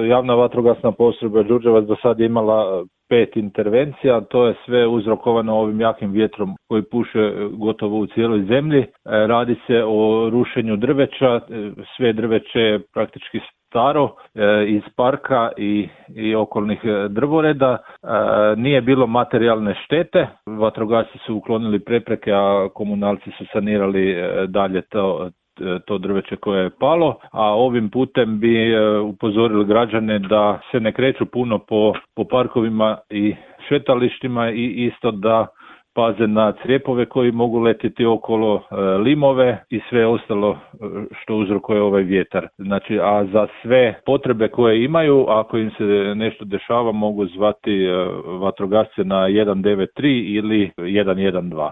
javna vatrogasna postrojba Đurđevac do sad je imala 5 intervencija, to je sve uzrokovano ovim jakim vjetrom koji puše gotovo u cijeloj zemlji. Radi se o rušenju drveća, sve drveće je praktički staro iz parka i okolnih drvoreda. Nije bilo materijalne štete, vatrogasci su uklonili prepreke, a komunalci su sanirali dalje to drveće koje je palo, a ovim putem bi upozorili građane da se ne kreću puno po parkovima i šetalištima i isto da paze na crijepove koji mogu letiti okolo, limove i sve ostalo što uzrokuje ovaj vjetar. Znači, a za sve potrebe koje imaju, ako im se nešto dešava, mogu zvati vatrogasce na 193 ili 112.